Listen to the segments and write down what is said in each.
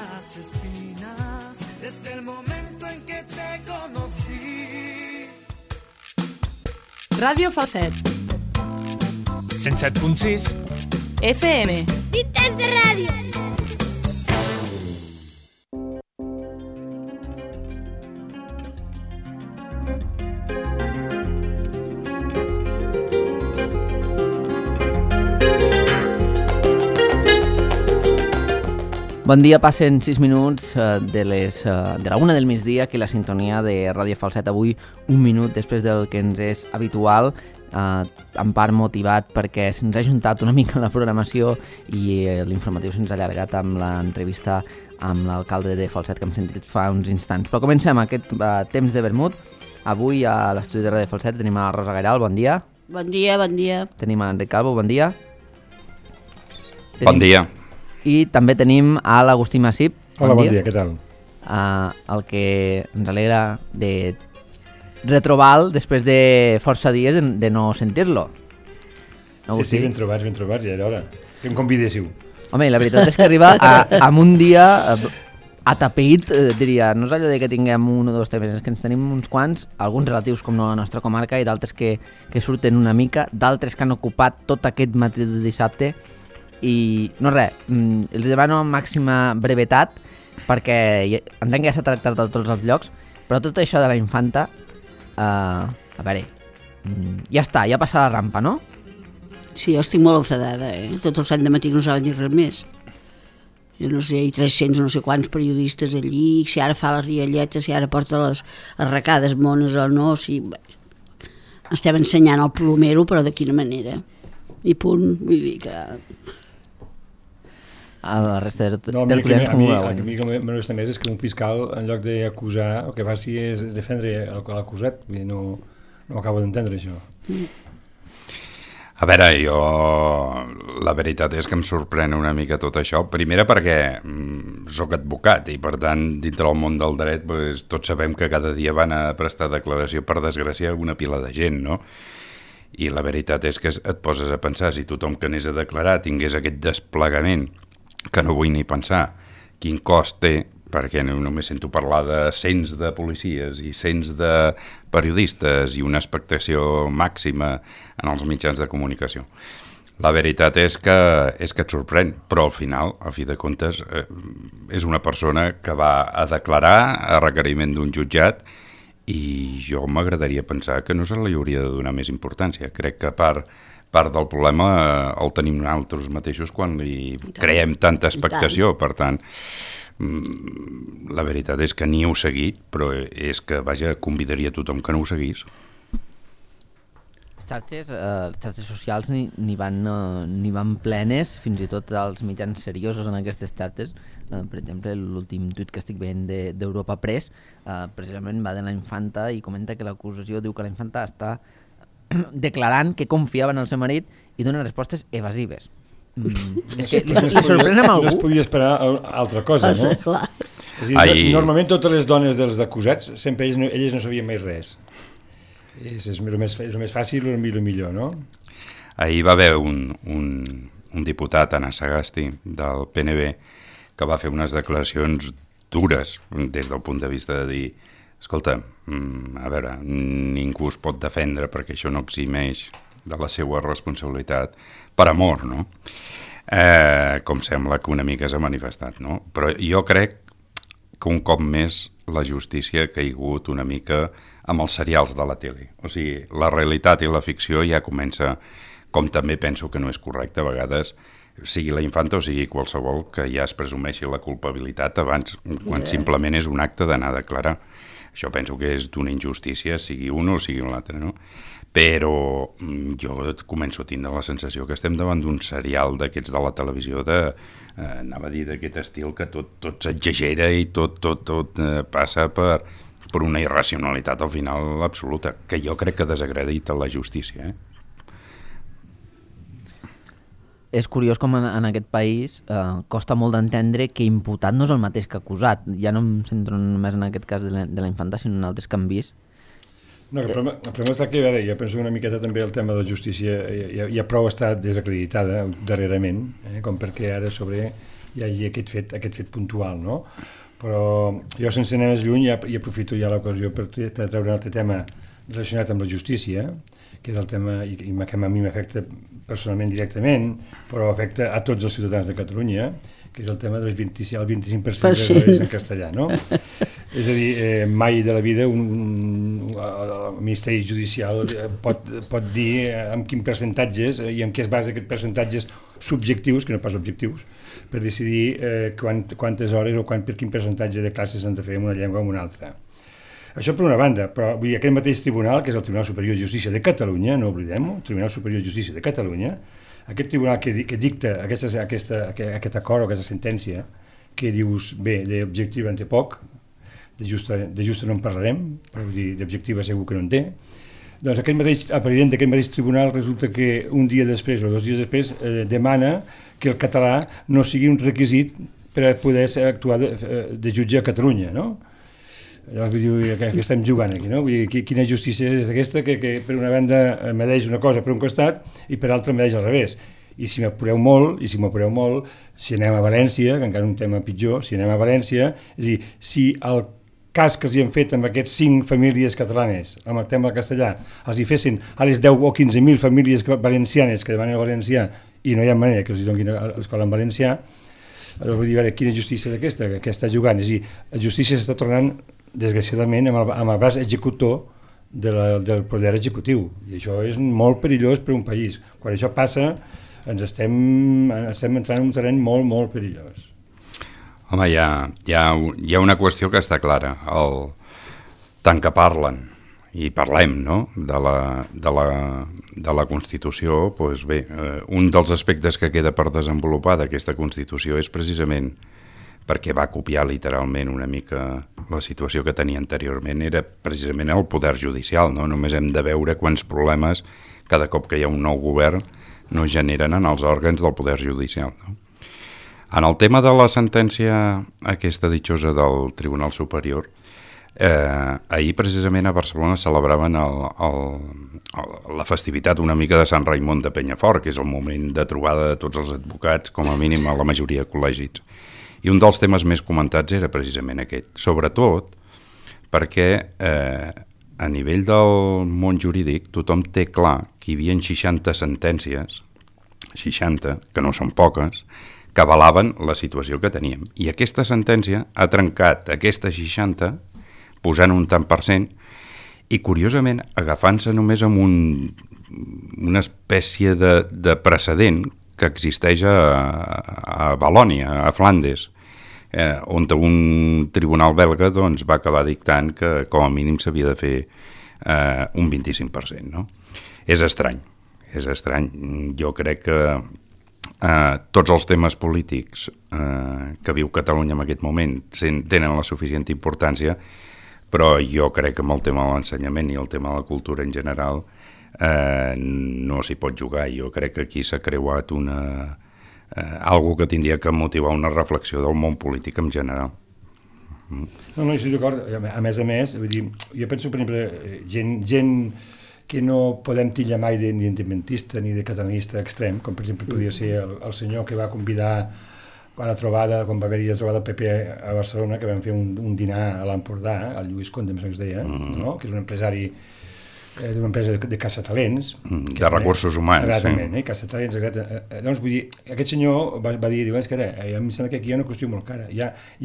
las espinas desde el momento en que te conocí. Ràdio Falset 107.6 FM. Ciutats de ràdio. Bon dia, passen 6 minuts de la 1 del migdia, aquí la sintonia de Ràdio Falset. Avui, un minut després del que ens és habitual, en part motivat perquè se'ns ha juntat una mica la programació i l'informatiu se'ns ha allargat amb l'entrevista amb l'alcalde de Falset que hem sentit fa uns instants. Però comencem aquest temps de vermut. Avui a l'estudi de Ràdio Falset tenim a la Rosa Gairal, bon dia. Bon dia, bon dia. Tenim a l'Enric Calvo, bon dia. Bon dia. I també tenim a l'Agustí Massip. Hola, bon dia, què tal? El que ens alegra de retrobar-lo després de força dies de no sentir-lo. Sí, ben trobats, ja era hora. Que em convidéssiu. Home, la veritat és que arriba amb un dia atapeït, diria. No és allò de que tinguem un o dos temes, és que ens tenim uns quants, alguns relatius com no a la nostra comarca i d'altres que surten una mica, d'altres que han ocupat tot aquest matí de dissabte. I no res, els demano màxima brevetat perquè entenc que ja s'ha tractat a tots els llocs, però tot això de la infanta, a veure, ja està, ja passa la rampa, no? Sí, jo estic molt enfadada, Tot el sant de matí no saben dir res més. Jo no sé, hi ha 300 no sé quants periodistes allí, si ara fa les rialletes, si ara porta les arracades mones o no, si... Estem ensenyant el plomero, però de quina manera. I punt, vull dir que... A la resta de no, tertulians com ho veuen. A mi el que m'agrada més és que un fiscal, en lloc d'acusar, el que faci és defendre l'acusat. No acabo d'entendre això. A veure, jo... La veritat és que em sorprèn una mica tot això. Primera perquè sóc advocat i, per tant, dintre del món del dret tots sabem que cada dia van a prestar declaració per desgràcia una pila de gent, no? I la veritat és que et poses a pensar, si tothom que anés a declarar tingués aquest desplegament, que no vull ni pensar quin cost té, perquè només sento parlar de cents de policies i cents de periodistes i una expectació màxima en els mitjans de comunicació. La veritat és que et sorprèn, però al final, a fi de comptes, és una persona que va a declarar a requeriment d'un jutjat i jo m'agradaria pensar que no se li hauria de donar més importància. Crec que part del problema el tenim nosaltres mateixos quan li creem tanta expectació. Per tant, la veritat és que ni heu seguit, però és que, vaja, convidaria tothom que no ho seguís. Les xarxes socials n'hi van plenes, fins i tot els mitjans seriosos en aquestes xarxes. Per exemple, l'últim tuit que estic veient d'Europa Press precisament va de la infanta i comenta que l'acusació diu que la infanta està declarant que confiava en el seu marit i dona respostes evasives. És que li sorprèn amb algú? No es podia esperar altra cosa, no? Clar. És a dir, normalment totes les dones dels acusats, sempre elles no sabien mai res. És el més fàcil i el millor, no? Ahir va haver un diputat, Anna Sagasti, del PNB, que va fer unes declaracions dures des del punt de vista de dir escolta, a veure, ningú es pot defendre perquè això no eximeix de la seva responsabilitat per amor, no? Com sembla que una mica s'ha manifestat, no? Però jo crec que un cop més la justícia ha caigut una mica amb els serials de la tele. O sigui, la realitat i la ficció ja comença, com també penso que no és correcte a vegades, sigui la infanta o sigui qualsevol, que ja es presumeixi la culpabilitat abans, quan simplement és un acte d'anar a declarar. Això penso que és d'una injustícia, sigui un o sigui l'altre, no? Però jo començo a tindre la sensació que estem davant d'un serial d'aquests de la televisió anava a dir d'aquest estil que tot s'exagera i tot passa per una irracionalitat al final absoluta, que jo crec que desacredita la justícia, És curiós com en aquest país costa molt d'entendre que imputat no és el mateix que acusat. Ja no em centro només en aquest cas de la infanta, sinó en altres que han vist. No, el problema està que, jo penso una miqueta també el tema de la justícia ja prou està desacreditada darrerament, com perquè ara sobre hi hagi aquest fet puntual, no? Però jo, sense anar més lluny, i aprofito ja l'ocasió per treure un altre tema relacionat amb la justícia, que és el tema que a mi m'afecta personalment directament, però afecta a tots els ciutadans de Catalunya, que és el tema del 25% de les en castellà, no? És a dir, mai de la vida el Ministeri Judicial pot dir amb quins percentatges i en què es basa aquests percentatges subjectius, que no pas objectius, per decidir quantes hores o per quin percentatge de classes s'han de fer en una llengua o en una altra. Això per una banda, però vull dir, aquest mateix tribunal, que és el Tribunal Superior de Justícia de Catalunya, no oblidem-ho, el Tribunal Superior de Justícia de Catalunya, aquest tribunal que dicta aquest acord o aquesta sentència, que dius, bé, d'objectiva en té poc, de justa no en parlarem, però vull dir, d'objectiva segur que no en té, doncs el president d'aquest mateix tribunal resulta que un dia després o 2 dies després demana que el català no sigui un requisit per a poder actuar de jutge a Catalunya, no? Vull dir, que estem jugant aquí, no? Vull dir, quina justícia és aquesta que per una banda medeix una cosa per un costat i per l'altra medeix al revés. I si m'apureu molt, si anem a València, que encara és un tema pitjor, si anem a València, és a dir, si el cas que els hi han fet amb aquests 5 famílies catalanes, amb el tema del castellà, els hi fessin a les 10 o 15.000 famílies valencianes que demanen el valencià i no hi ha manera que els hi donin a l'escola en valencià, vull dir, a veure, quina justícia és aquesta que està jugant? És a dir, la justícia s'està tornant desgraciadament amb el braç executor del poder executiu, i això és molt perillós per un país. Quan això passa ens estem entrant en un terreny molt, molt perillós. Home, hi ha una qüestió que està clara. Tant que parlen, i parlem, no?, de la Constitució, doncs bé, un dels aspectes que queda per desenvolupar d'aquesta Constitució és precisament perquè va copiar literalment una mica la situació que tenia anteriorment, era precisament el poder judicial, no? Només hem de veure quants problemes cada cop que hi ha un nou govern no generen en els òrgans del poder judicial, no? En el tema de la sentència aquesta ditjosa del Tribunal Superior, ahir precisament a Barcelona celebraven la festivitat una mica de Sant Raimon de Penyafort, que és el moment de trobada de tots els advocats, com a mínim a la majoria de col·legis. I un dels temes més comentats era precisament aquest, sobretot perquè a nivell del món jurídic tothom té clar que hi havia 60 sentències, 60, que no són poques, que avalaven la situació que teníem. I aquesta sentència ha trencat aquesta 60, posant un tant per cent, i curiosament agafant-se només amb una espècie de precedent que existeix a Valònia, a Flandes, on un tribunal belga doncs, va acabar dictant que com a mínim s'havia de fer un 25%. No? És estrany. Jo crec que tots els temes polítics que viu Catalunya en aquest moment tenen la suficient importància, però jo crec que amb el tema de l'ensenyament i el tema de la cultura en general no s'hi pot jugar. Jo crec que aquí s'ha creuat algo que tindria que motivar una reflexió del món polític en general. No, estic d'acord. A més, vull dir, jo penso, per exemple, gent que no podem tillar mai d'independentista ni de catalanista extrem, com per exemple podria ser el senyor que va convidar quan va haver-hi la trobada del PP a Barcelona, que vam fer un dinar a l'Empordà, el Lluís Conde, em sembla que es deia, no? Que és un empresari d'una empresa de caçatalents. De recursos humans. Exactament, caçatalents. Doncs vull dir, aquest senyor va dir, és que em sembla que aquí hi ha una qüestió molt cara. Hi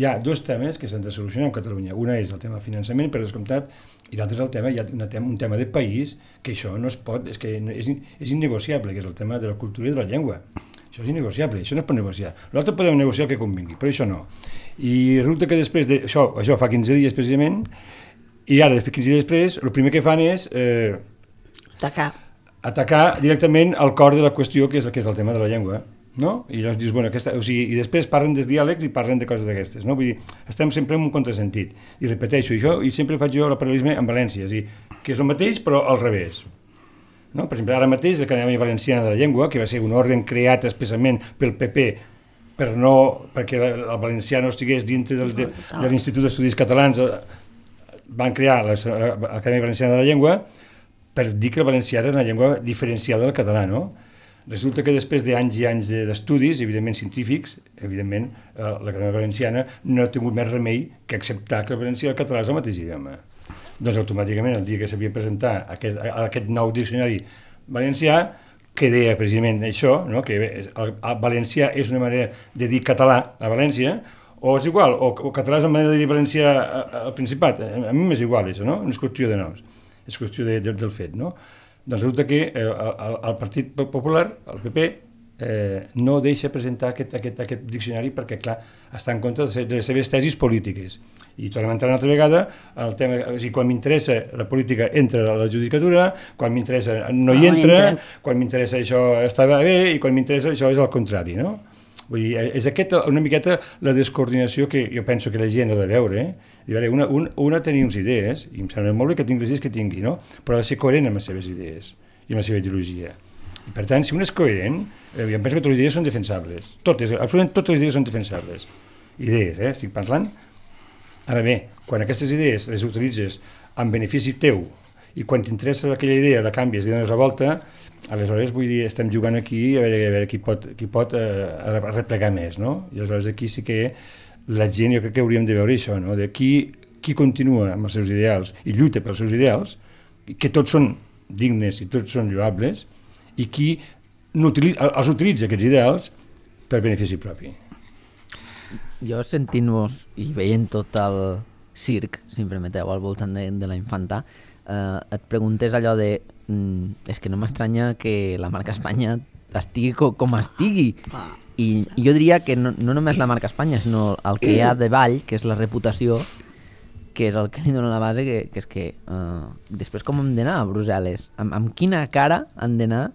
ha 2 temes que s'han de solucionar a Catalunya. Una és el tema del finançament, per descomptat, i l'altre és el tema, hi ha un tema de país, que això no es pot, és que és innegociable, que és el tema de la cultura i de la llengua. Això és innegociable, això no es pot negociar. L'altre podem negociar el que convingui, però això no. I resulta que després d'això, això fa 15 dies precisament, i ara, 15 dies després, el primer que fan és atacar directament el cor de la qüestió, que és el tema de la llengua, no? I llavors dius, bueno, i després parlen dels diàlegs i parlen de coses d'aquestes, no? Vull dir, estem sempre en un contrasentit. I repeteixo, i sempre faig jo el paral·lelisme amb València, és a dir, que és el mateix però al revés. No? Per exemple, ara mateix l'Acadèmia Valenciana de la Llengua, que va ser un òrgan creat especialment pel PP perquè el valencià no estigués dintre de l'Institut d'Estudis Catalans, van crear l'Acadèmia Valenciana de la Llengua per dir que el valencià era una llengua diferenciada del català, no? Resulta que després d'anys i anys d'estudis, evidentment científics, evidentment l'Acadèmia Valenciana no ha tingut més remei que acceptar que el valencià i el català és el mateix idioma. Doncs automàticament, el dia que s'havia de presentar aquest nou diccionari valencià, que deia precisament això, no? Que el valencià és una manera de dir català a València, o és igual, o català és una manera de dir valencià al Principat. A mi m'és igual, això, no? No és qüestió de noms, és qüestió del fet, no? Doncs resulta que el Partit Popular, el PP, no deixa presentar aquest diccionari perquè, clar, està en contra de les seves tesis polítiques. I tornem a entrar una altra vegada al tema, o sigui, quan m'interessa la política entra a la judicatura, quan m'interessa no hi entra, quan m'interessa això està bé i quan m'interessa això és el contrari, no? Vull dir, és aquesta una miqueta la descoordinació que jo penso que la gent ha de veure, una tenir unes idees, i em sembla molt bé que tingui les idees que tingui, no? Però ha de ser coherent amb les seves idees i amb la seva ideologia. I per tant, si un és coherent, jo penso que totes les idees són defensables. Absolutament totes les idees són defensables. Idees, estic parlant. Ara bé, quan aquestes idees les utilitzes en benefici teu i quan t'interessa aquella idea la canvies i dones la volta, aleshores, vull dir, estem jugant aquí a veure qui pot replegar més, no? I aleshores aquí sí que la gent, jo crec que hauríem de veure això, no? De qui continua amb els seus ideals i lluita pels seus ideals, que tots són dignes i tots són lloables, i qui els utilitza aquests ideals per benefici propi. Jo sentint-vos i veient tot el circ, si em permeteu, al voltant de la infanta, et preguntés allò de és que no m'estranya que la marca Espanya estigui com estigui. I jo diria que no només la marca Espanya, sinó el que hi ha de ball, que és la reputació, que és el que li dona la base, que és que després com hem d'anar a Brussel·les? Amb quina cara han d'anar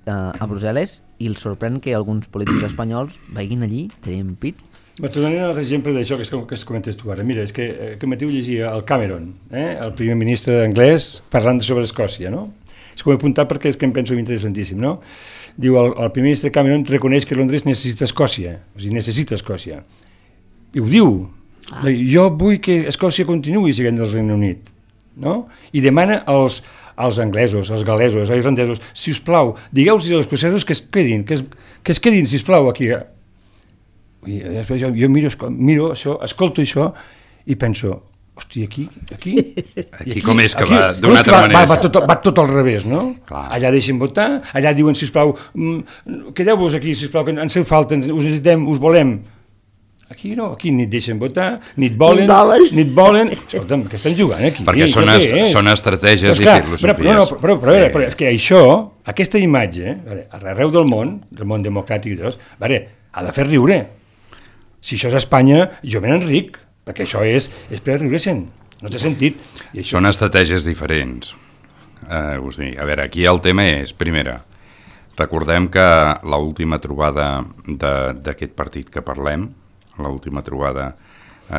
a Brussel·les i els sorprèn que alguns polítics espanyols vagin allí, tenien pit? T'ho donaré un altre exemple d'això que comentes tu ara. Mira, és que aquest matí ho llegia el Cameron, el primer ministre anglès, parlant sobre Escòcia, no? És com he apuntat perquè és que em penso interessantíssim, no? Diu, el primer ministre Cameron reconeix que Londres necessita Escòcia, o sigui, necessita Escòcia. I ho diu. Jo vull que Escòcia continuï sent del Regne Unit, no? I demana als anglesos, als gal·lesos, als irlandesos, si us plau, digueu-los als escocesos que es quedin, si us plau, aquí. I després jo miro això, escolto això i penso, hosti, aquí com és que va d'una altra manera? Va tot al revés, no? Clar. Allà deixen votar, allà diuen, sisplau, quedeu-vos aquí, sisplau, que ens feu falta, us necessitem, us volem. Aquí no, aquí ni et deixen votar, ni et volen. Escolta'm, què estan jugant aquí? Perquè són estratègies i filosofies. Però és que això, aquesta imatge, arreu del món democràtic i tot, ha de fer riure. Si això és Espanya, jo me n'enric, perquè això és per riure-se'n, no té sentit. I això... Són estratègies diferents. Us dic, a veure, aquí el tema és, primera, recordem que l'última trobada d'aquest partit que parlem, l'última trobada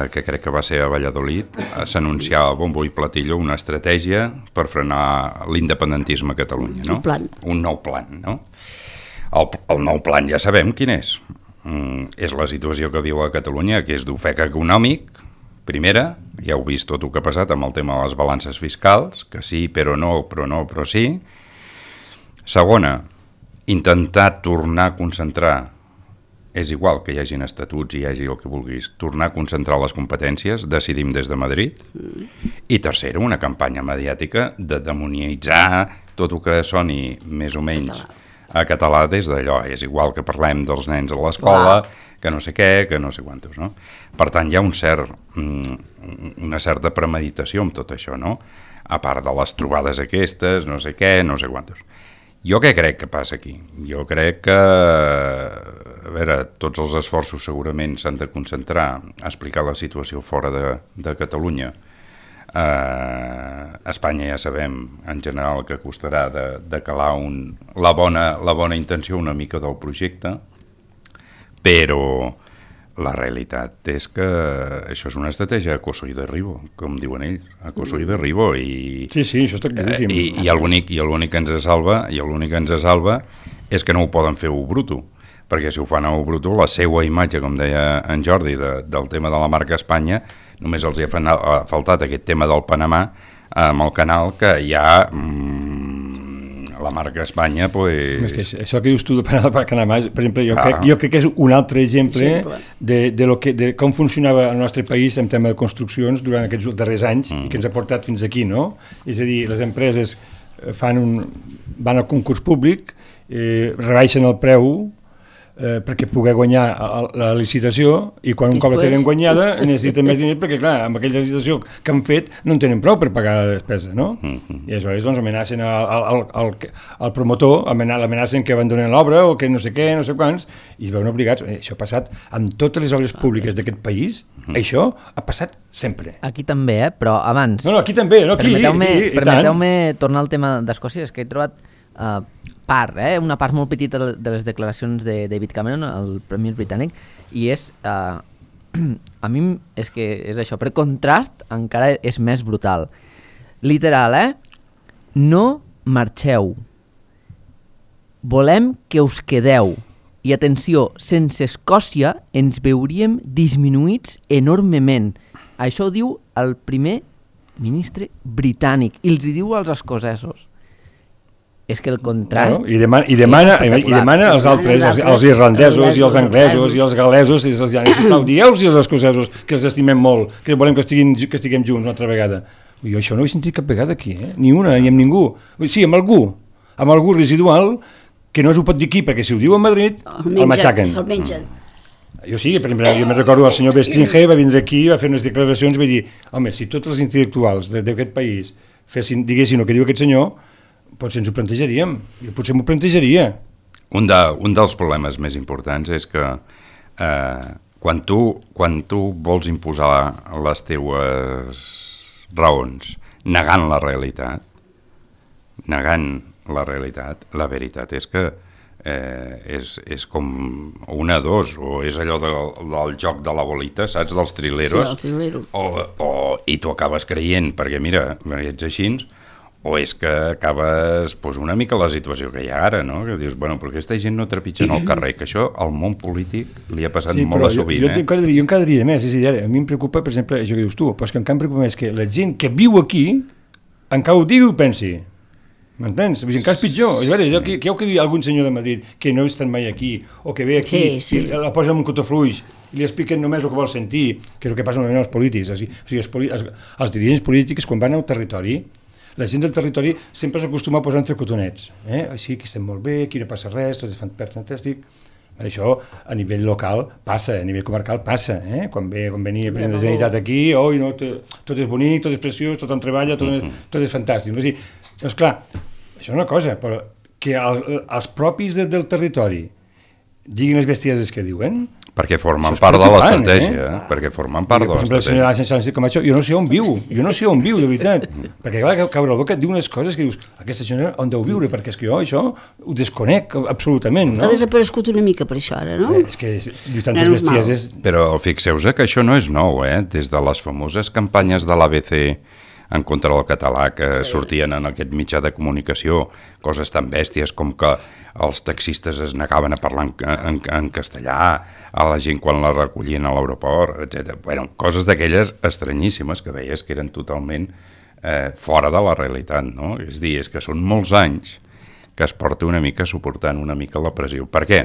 que crec que va ser a Valladolid, s'anunciava a bombo i platillo una estratègia per frenar l'independentisme a Catalunya, no? Un nou plan, no? El nou plan ja sabem quin és. És la situació que viu a Catalunya, que és d'ofec econòmic, primera, ja heu vist tot el que ha passat amb el tema de les balances fiscals, que sí, però no, però sí. Segona, intentar tornar a concentrar, és igual que hi hagin estatuts i hi hagi el que vulguis, tornar a concentrar les competències, decidim des de Madrid. I tercera, una campanya mediàtica de demonitzar tot el que soni més o menys a català des d'allò. És igual que parlem dels nens a l'escola, que no sé què, que no sé quantos, no? Per tant, hi ha una certa premeditació amb tot això, no? A part de les trobades aquestes, no sé què, no sé quantos. Jo què crec que passa aquí? Jo crec que, a veure, tots els esforços segurament s'han de concentrar a explicar la situació fora de Catalunya. Espanya ja sabem en general que costarà de calar la bona intenció una mica del projecte, però la realitat és que això és una estratègia a coso i derribo, com diuen ells, a coso i derribo. Sí, això està claríssim. I l'únic que ens salva és que no ho poden fer bruto, perquè si ho fan a bruto, la seva imatge, com deia en Jordi, del tema de la marca Espanya, només els hi ha faltat aquest tema del Panamà amb el canal, que ja la marca Espanya, pues... És que això que dius tu de Panamà, per exemple, jo crec que és un altre exemple de com funcionava el nostre país en tema de construccions durant aquests darrers anys i que ens ha portat fins aquí, no? És a dir, les empreses van al concurs públic, rebaixen el preu perquè poder guanyar la licitació i quan un cop la tenen guanyada necessiten més diners perquè, clar, amb aquella licitació que han fet no en tenen prou per pagar la despesa, no? I aleshores doncs amenacen al promotor, l'amenacen que abandonen l'obra o que no sé què, no sé quants, i es veuen obligats. Això ha passat amb totes les obres públiques d'aquest país, això ha passat sempre. Aquí també, però abans... No, aquí també, no? Permeteu-me tornar al tema d'Escòcia, és que he trobat una part molt petita de les declaracions de David Cameron, el premier britànic, i és a mi és que és això, per contrast encara és més brutal, literal, no marxeu, volem que us quedeu, i atenció, sense Escòcia ens veuríem disminuïts enormement. Això ho diu el primer ministre britànic i els hi diu als escocesos. És que el contrast... No, I demana als altres, els irlandesos i els anglesos i els galesos, i els llanesos, dieu-los als escocesos que els estimem molt, que volem que estiguem junts una altra vegada. Jo això no ho he sentit cap vegada aquí, ni una, ni amb ningú. Sí, amb algú residual, que no s'ho pot dir aquí, perquè si ho diu a Madrid, el matxaquen. Se'l mengen. Jo sí, per exemple, jo me recordo el senyor Bestringer va vindre aquí, va fer unes declaracions i va dir, home, si tots els intel·lectuals d'aquest país diguessin el que diu aquest senyor, potser ens ho plantejaríem, jo potser m'ho plantejaria. Un dels problemes més importants és que quan tu vols imposar les teues raons negant la realitat, la veritat és que és com una o dos, o és allò del joc de la bolita, saps, dels trileros, i tu acabes creient, perquè mira, ets així, o és que acabes una mica la situació que hi ha ara, no? Que dius, bueno, però aquesta gent no trepitja en el carrer, que això al món polític li ha passat molt a sovint. Jo encara diria més, és a dir, a mi em preocupa, per exemple, això que dius tu, però és que encara em preocupa més que la gent que viu aquí encara ho digui i ho pensi. M'entens? Encara és pitjor. És veritat, que heu que dir algun senyor de Madrid que no ha estat mai aquí, o que ve aquí i la posa en un cotofluix i li expliquen només el que vol sentir, que és el que passa amb els polítics. O sigui, els dirigents polítics, quan van al territori, la gent del territori sempre s'acostuma a posar entre cotonets. Així, aquí estem molt bé, aquí no passa res, tot és fantàstic. Això a nivell local passa, a nivell comarcal passa. Quan venia el president de la Generalitat aquí, tot és bonic, tot és preciós, tothom treballa, tot és fantàstic. Doncs clar, això és una cosa, però que els propis del territori diguin les bestieses que diuen... Perquè formen part de l'estratègia, perquè formen part de l'estratègia. Per exemple, la senyora Camacho, jo no sé on viu, de veritat, perquè clar, caure la boca diu unes coses que dius, aquesta senyora on deu viure, perquè és que jo això ho desconec absolutament, no? Ha desaparegut una mica per això ara, no? És que diu tantes bestieses... Però fixeu-vos que això no és nou, des de les famoses campanyes de l'ABC en contra del català que sortien en aquest mitjà de comunicació, coses tan bèsties com que els taxistes es negaven a parlar en castellà a la gent quan la recollien a l'aeroport, etc. Bueno, coses d'aquelles estranyíssimes que veies que eren totalment fora de la realitat, no? És a dir, és que són molts anys que es porta una mica suportant una mica la pressió. Per què?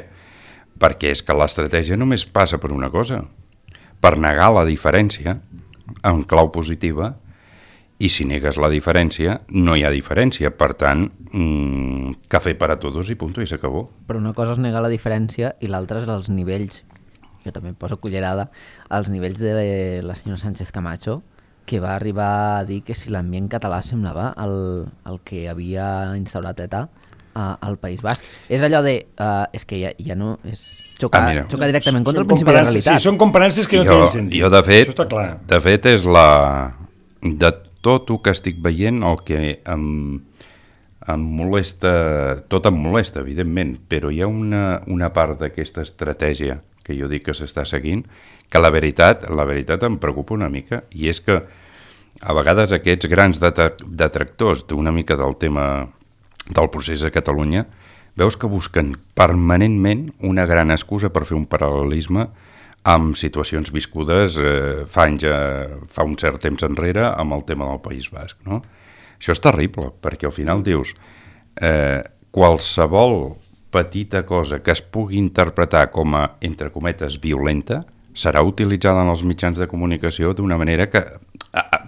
Perquè és que l'estratègia només passa per una cosa, per negar la diferència en clau positiva. I si negues la diferència, no hi ha diferència. Per tant, cafè per a tots i punto, i s'acabó. Però una cosa és negar la diferència i l'altra és els nivells. Jo també em poso cullerada. Els nivells de la senyora Sánchez Camacho, que va arribar a dir que si l'ambient català semblava el que havia instaurat ETA al País Basc. És allò de... és que ja no... Xoca directament contra el principi de la realitat. Sí, són comparances que no tenen sentit. Jo, de fet, això està clar. De fet, és la... De tot el que estic veient, el que em molesta, tot em molesta, evidentment, però hi ha una part d'aquesta estratègia que jo dic que s'està seguint, que la veritat em preocupa una mica, i és que a vegades aquests grans detractors d'una mica del tema del procés a Catalunya, veus que busquen permanentment una gran excusa per fer un paral·lelisme amb situacions viscudes fa un cert temps enrere amb el tema del País Basc, no? Això és terrible, perquè al final dius qualsevol petita cosa que es pugui interpretar com a, entre cometes, violenta, serà utilitzada en els mitjans de comunicació d'una manera que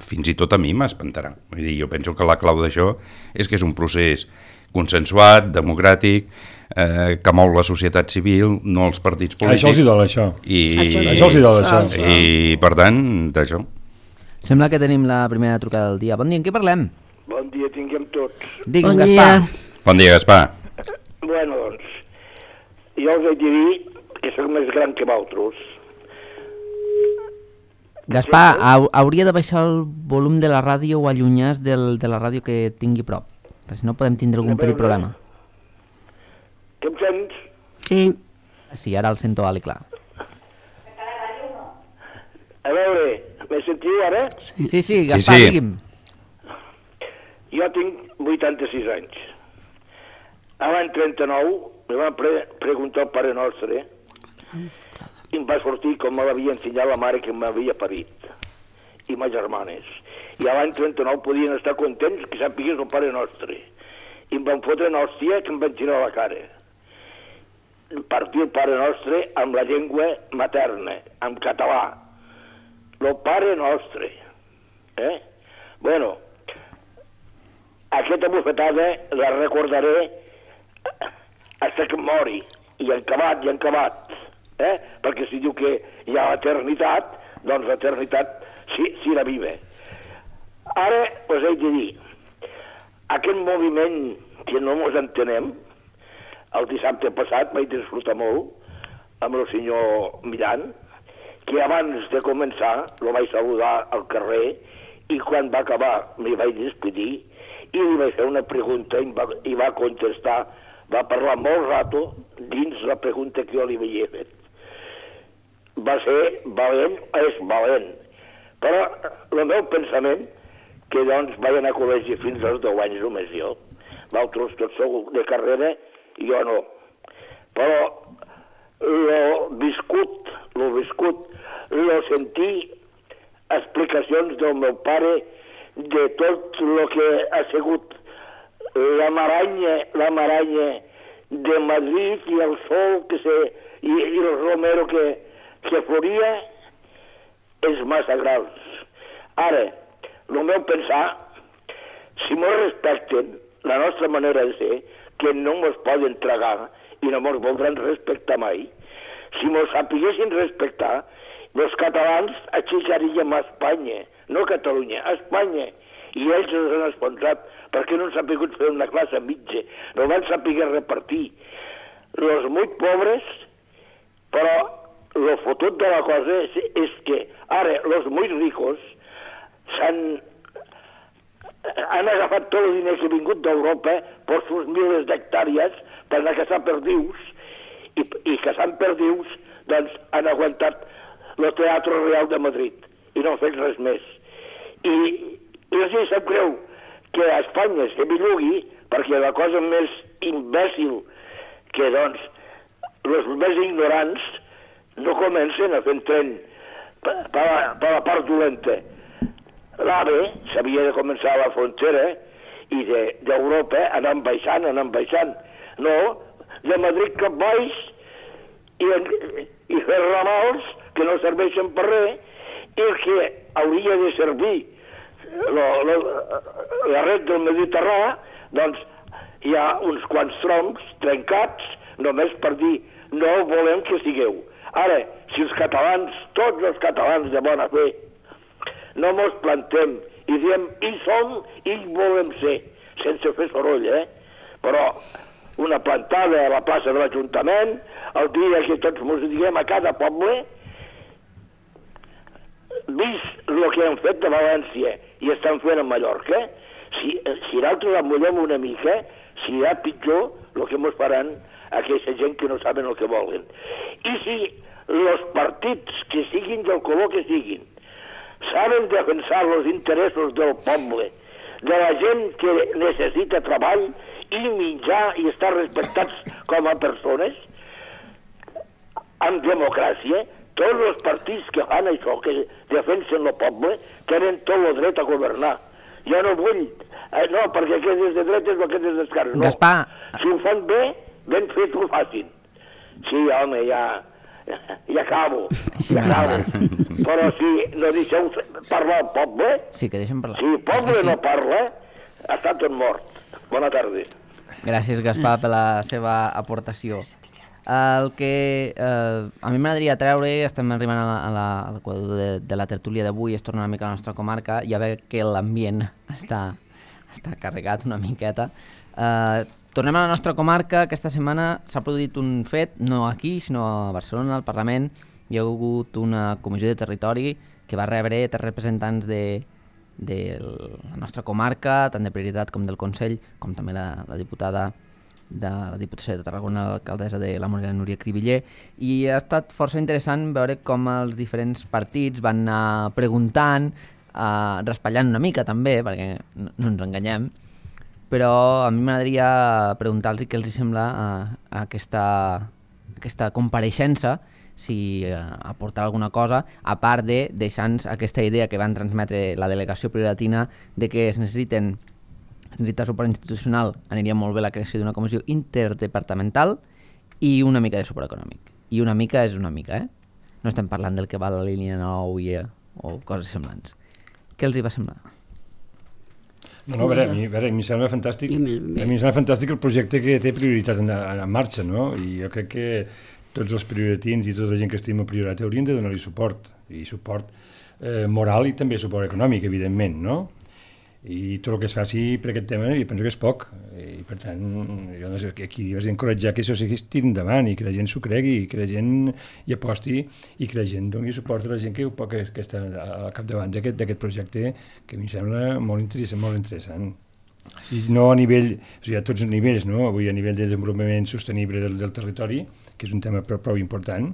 fins i tot a mi m'espantarà. Vull dir, jo penso que la clau d'això és que és un procés consensuat, democràtic, que mou la societat civil, no els partits polítics. Això els hi dol, això. Això els hi dol, això. I, per tant, d'això. Sembla que tenim la primera trucada del dia. Bon dia, en què parlem? Bon dia tinguem tots. Digue'm, Bon Gaspar. dia. Bon dia, Gaspar. Bueno, doncs, jo us he de dir que soc més gran que vosaltres. Gaspar, hauria de baixar el volum de la ràdio o allunyar-se de la ràdio que tingui prop, perquè si no podem tindre algun petit problema. Que em sents? Sí. Sí, ara el sento alt i clar. A veure, me sentiu ara? Sí, Gaspar, sí. digui'm. Jo tinc 86 anys. A l'any 39 me van preguntar el Pare Nostre i em va sortir com me l'havia ensenyat la mare que m'havia parit i ma germanes. I a l'any 39 podien estar contents que sapigués el Pare Nostre. I em van fotre una hòstia que em van girar la cara. Partir el Pare Nostre amb la llengua materna, en català. El Pare Nostre. Bueno, aquesta bufetada la recordaré fins que em mori, i en acabat, perquè si diu que hi ha l'eternitat, doncs l'eternitat sí la vive. Ara us he de dir, aquest moviment que no ens entenem, el dissabte passat vaig disfrutar molt amb el senyor Millan, que abans de començar el vaig saludar al carrer i quan va acabar m'hi vaig despedir i li vaig fer una pregunta i va contestar, va parlar molt rato dins la pregunta que jo li havia fet. Va ser valent, és valent. Però el meu pensament, que doncs vaig anar a col·legi fins als 10 anys només jo, vosaltres tots sou de carrera i jo no. Però el viscut, sentir explicacions del meu pare de tot el que ha sigut la maranya de Madrid i el sol i el romero que floria és massa grans. Ara, el meu pensar, si mos respecten la nostra manera de ser, que no mos poden tragar i no mos voldran respectar mai, si mos sapiguessin respectar, els catalans aixecaríem a Espanya, no a Catalunya, a Espanya, i ells ens han esponsat perquè no han sapigut fer una classe mitja, no van saber repartir. Els molt pobres, però el fotut de la cosa és que ara els molt ricos han agafat tot el diner que ha vingut d'Europa per sus miles d'hectàrees per anar a caçar perdius i caçant perdius doncs han aguantat el Teatre Real de Madrid i no han fet res més. I els hi sap greu que a Espanya se bellugui perquè la cosa més imbècil que doncs els més ignorants no comencen a fer tren per la part dolenta. L'AVE s'havia de començar a la frontera i d'Europa anant baixant. No, de Madrid cap baix i fer ramals que no serveixen per res i el que hauria de servir la red del Mediterrani, doncs hi ha uns quants troncs trencats només per dir no volem que sigueu. Ara, si els catalans, tots els catalans de bona fe, no mos plantem i diem hi som i hi volem ser, sense fer soroll, però una plantada a la plaça de l'Ajuntament, el dia que tots mos diguem a cada poble, vist el que han fet de València i estan fent a Mallorca, si nosaltres amullem una mica, serà pitjor el que mos faran aquesta gent que no saben el que volen. I si els partits que siguin del color que siguin saben defensar els interessos del poble, de la gent que necessita treball i menjar i estar respectats com a persones, amb democràcia, tots els partits que fan això, que defensen el poble, tenen tot el dret a governar. Jo no vull No, perquè aquest és de dretes o aquest és d'esquerres. No. Gaspar. Si ho fan bé, ben fet ho facin. Sí, home, ja acabo. Però si no deixeu parlar el poble, Sí, que deixem parlar. si el poble no parla, està tot mort. Bona tarda. Gràcies, Gaspar, per la seva aportació. El que a mi m'agradaria treure, estem arribant a l'equador de la tertúlia d'avui, es torna una mica a la nostra comarca, ja ve que l'ambient està carregat una miqueta. Tornem a la nostra comarca. Aquesta setmana s'ha produït un fet, no aquí, sinó a Barcelona, al Parlament. Hi ha hagut una comissió de territori que va rebre 3 representants de la nostra comarca, tant de prioritat com del Consell, com també la diputada de la Diputació de Tarragona, l'alcaldessa de la Morera, Núria Cribiller, i ha estat força interessant veure com els diferents partits van anar preguntant, raspallant una mica també, perquè no ens enganyem, però a mi m'agradaria preguntar-los què els sembla aquesta compareixença, si aportarà alguna cosa, a part de deixar-nos aquesta idea que van transmetre la delegació prioritina de que es necessita suport institucional, aniria molt bé la creació d'una comissió interdepartamental i una mica de suport econòmic. I una mica és una mica, No estem parlant del que va a la línia 9 o coses semblants. Què els hi va semblar? No, a veure, a mi em sembla fantàstic. A mi em sembla fantàstic el projecte que té prioritat en marxa, no? I jo crec que tots els prioritins i tota la gent que estima Priorat haurien de donar-li suport, i suport moral i també suport econòmic, evidentment, no? I tot el que es faci per aquest tema jo penso que és poc, i per tant jo aquí vas encoratjar que això seguís tirant endavant i que la gent s'ho cregui i que la gent hi aposti i que la gent doni suport a la gent que està al capdavant d'aquest projecte, que a mi em sembla molt interessant. I no a nivell, o sigui, a tots els nivells, no? Avui a nivell de desenvolupament sostenible del territori, que és un tema prou important,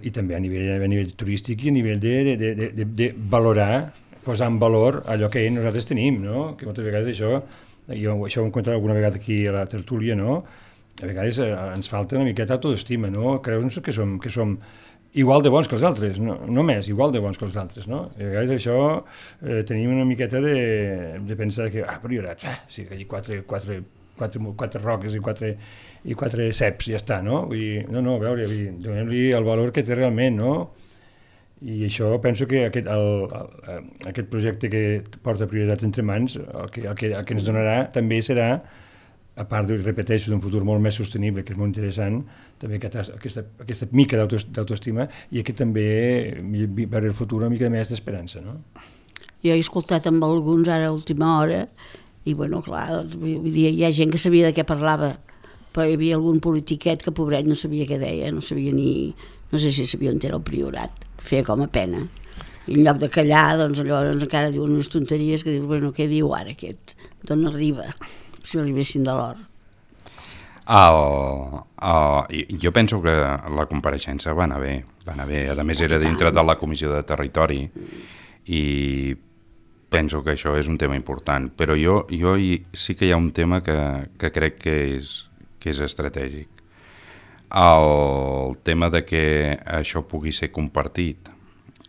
i també a nivell turístic i a nivell de valorar, posar en valor allò que nosaltres tenim, no? Que moltes vegades això ho hem contat alguna vegada aquí a la tertúlia, no? A vegades ens falta una miqueta autoestima, no? Creure'ns que som igual de bons que els altres, no més, igual de bons que els altres, no? I a vegades això tenim una miqueta de pensar que, Priorat, sí, que hi ha quatre roques i quatre ceps, ja està, no? Vull dir, no, a veure, donem-li el valor que té realment, no? I això penso que aquest projecte que porta Prioritat entre mans, el que ens donarà també serà, a part, repeteixo, d'un futur molt més sostenible, que és molt interessant, també aquesta mica d'autoestima i que també veure el futur una mica més d'esperança, no? Jo he escoltat amb alguns ara a última hora i, bueno, clar, doncs, vull dir, hi ha gent que sabia de què parlava, però hi havia algun politiquet que, pobret, no sabia què deia, no sabia ni... No sé si sabia on era el Priorat, feia com a pena. I en lloc de callar, doncs llavors encara diuen unes tonteries que dius, bueno, què diu ara aquest? D'on arriba? Si arribessin de l'or. Jo penso que la compareixença va anar bé. A més, era dintre de la Comissió de Territori i penso que això és un tema important. Però jo sí que hi ha un tema que crec que és estratègic. El tema de que això pugui ser compartit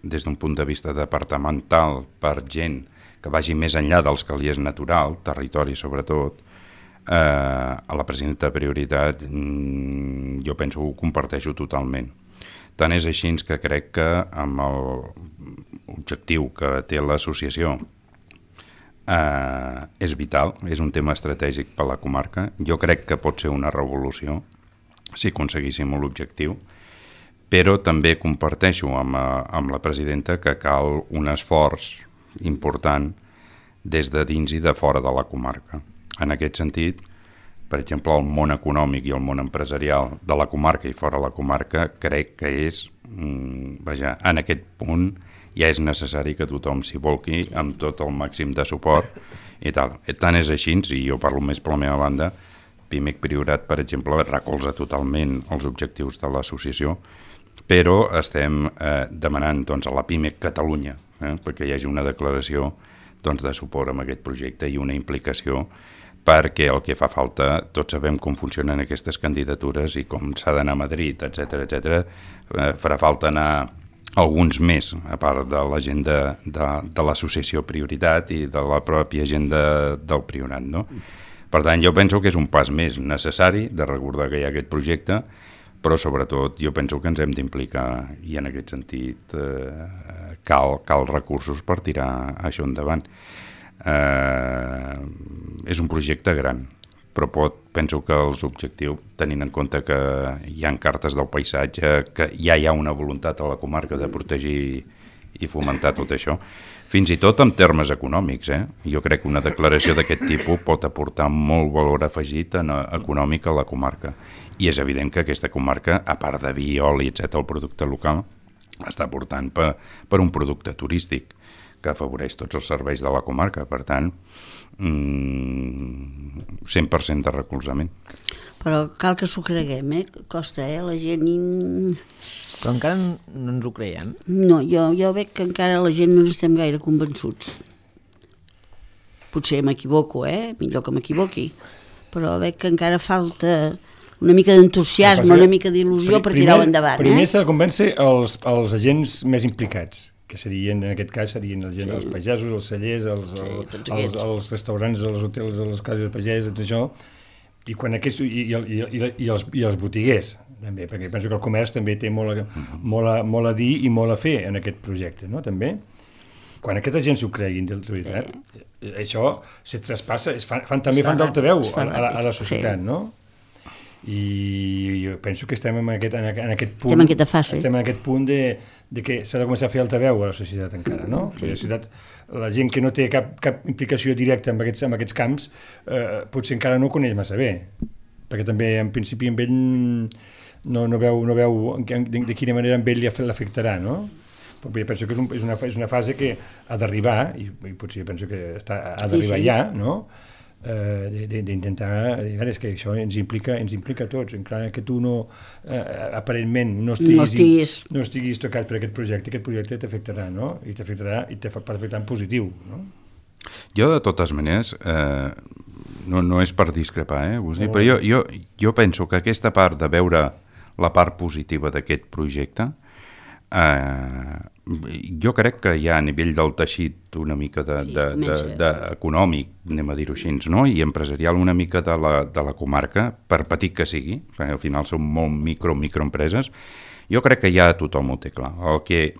des d'un punt de vista departamental per gent que vagi més enllà dels que li és natural, territori sobretot, a la presidenta de Prioritat jo penso que ho comparteixo totalment. Tant és així que crec que amb l'objectiu que té l'associació és vital, és un tema estratègic per a la comarca. Jo crec que pot ser una revolució si aconseguíssim l'objectiu, però també comparteixo amb la presidenta que cal un esforç important des de dins i de fora de la comarca. En aquest sentit, per exemple, el món econòmic i el món empresarial de la comarca i fora de la comarca crec que és, en aquest punt ja és necessari que tothom s'hi volqui amb tot el màxim de suport i tal. Tant és així, i jo parlo més per la meva banda, PIMEC Priorat, per exemple, recolza totalment els objectius de l'associació, però estem demanant a la PIMEC Catalunya perquè hi hagi una declaració de suport amb aquest projecte i una implicació, perquè el que fa falta, tots sabem com funcionen aquestes candidatures i com s'ha d'anar a Madrid, etc. Farà falta anar alguns més, a part de l'agenda de l'associació Prioritat i de la pròpia agenda del Priorat, no? Per tant, jo penso que és un pas més necessari de recordar que hi ha aquest projecte, però sobretot jo penso que ens hem d'implicar i en aquest sentit cal recursos per tirar això endavant. És un projecte gran, però penso que els objectius, tenint en compte que hi ha cartes del paisatge, que ja hi ha una voluntat a la comarca de protegir i fomentar tot això, fins i tot en termes econòmics. Jo crec que una declaració d'aquest tipus pot aportar molt valor afegit econòmic a la comarca. I és evident que aquesta comarca, a part de vi, oli, etc., el producte local, està aportant per un producte turístic que afavoreix tots els serveis de la comarca. Per tant, 100% de recolzament. Però cal que s'ho creguem, costa, la gent... Però encara no ens ho creiem. No, jo veig que encara la gent no estem gaire convençuts. Potser m'equivoco, millor que m'equivoqui, però veig que encara falta una mica d'entusiasme, una mica d'il·lusió per tirar-ho endavant. Primer s'ha de convèncer els agents més implicats, que serien, en aquest cas, serien els pagesos, els cellers, els restaurants, els hotels, les cases de pagès, tot això, i els botiguers, també, perquè penso que el comerç també té molt a dir i molt a fer en aquest projecte, no?, també. Quan aquesta gent s'ho creguin de veritat, això se traspassa, fan d'altaveu a la societat, no? I jo penso que estem en aquest punt, estem en aquest punt de que s'ha de començar a fer altaveu a la societat encara, no? La gent que no té cap implicació directa amb aquests camps potser encara no ho coneix massa bé, perquè també en principi amb ell no veu de quina manera amb ell l'afectarà, no? Però penso que és una fase que ha d'arribar, i potser penso que ha d'arribar ja, no? D'intentar, és que això ens implica a tots, encara que tu aparentment no estiguis tocat per aquest projecte t'afectarà, no? I t'afectarà en positiu, no? Jo, de totes maneres, no és per discrepar, però jo penso que aquesta part de veure la part positiva d'aquest projecte, jo crec que hi ha a nivell del teixit una mica econòmic, anem a dir-ho així, no? I empresarial una mica de la comarca, per petit que sigui, perquè al final són molt microempreses, jo crec que ja tothom ho té clar. El que,